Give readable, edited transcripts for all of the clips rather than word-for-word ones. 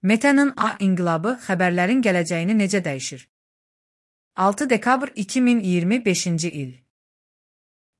Meta'nın A inqilabı xəbərlərin gələcəyini necə dəyişir? 6 dekabr 2025-ci il.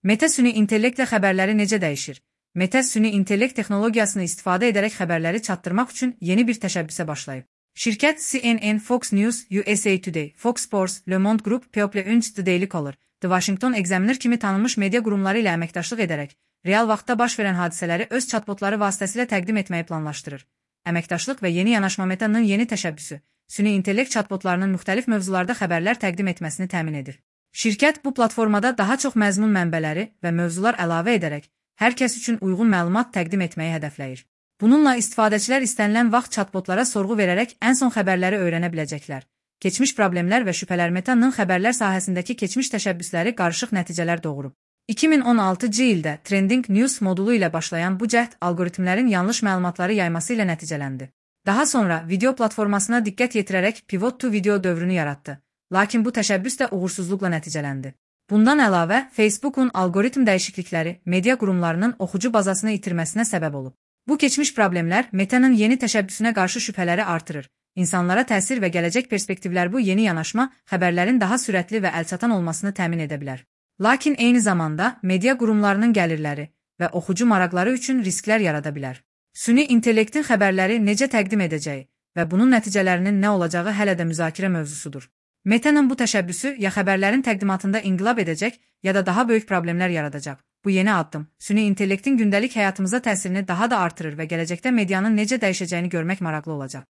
Meta süni intellektlə xəbərləri necə dəyişir? Meta süni intellekt texnologiyasını istifadə edərək xəbərləri çatdırmaq üçün yeni bir təşəbbüsə başlayıb. Şirkət CNN, Fox News, USA Today, Fox Sports, Le Monde Group, People Unch, The Daily Caller, The Washington Examiner kimi tanınmış media qurumları ilə əməkdaşlıq edərək, real vaxtda baş verən hadisələri öz chatbotları vasitəsilə təqdim etməyi planlaşdırır. Əməkdaşlıq və yeni yanaşma Meta'nın yeni təşəbbüsü, süni intellekt chatbotlarının müxtəlif mövzularda xəbərlər təqdim etməsini təmin edir. Şirkət bu platformada daha çox məzmun mənbələri və mövzular əlavə edərək, hər kəs üçün uyğun məlumat təqdim etməyi hədəfləyir. Bununla istifadəçilər istənilən vaxt chatbotlara sorğu verərək ən son xəbərləri öyrənə biləcəklər. Keçmiş problemlər və şübhələr Meta'nın xəbərlər sahəsindəki keçmiş təşəbbüsləri qarışıq nəticələr doğurub. 2016-cı ildə Trending News modulu ilə başlayan bu cəhd alqoritmlərin yanlış məlumatları yayması ilə nəticələndi. Daha sonra video platformasına diqqət yetirərək Pivot to Video dövrünü yaratdı. Lakin bu təşəbbüs də uğursuzluqla nəticələndi. Bundan əlavə, Facebook'un alqoritm dəyişiklikləri media qurumlarının oxucu bazasını itirməsinə səbəb olub. Bu keçmiş problemlər Meta'nın yeni təşəbbüsünə qarşı şübhələri artırır. İnsanlara təsir və gələcək perspektivlər bu yeni yanaşma xəbərlərin daha sürətli və əlçatan olmasını təmin edə bilər. Lakin eyni zamanda media qurumlarının gəlirləri və oxucu maraqları üçün risklər yarada bilər. Süni intellektin xəbərləri necə təqdim edəcəyi və bunun nəticələrinin nə olacağı hələ də müzakirə mövzusudur. Meta'nın bu təşəbbüsü ya xəbərlərin təqdimatında inqilab edəcək, ya da daha böyük problemlər yaradacaq. Bu yeni addım, süni intellektin gündəlik həyatımıza təsirini daha da artırır və gələcəkdə medianın necə dəyişəcəyini görmək maraqlı olacaq.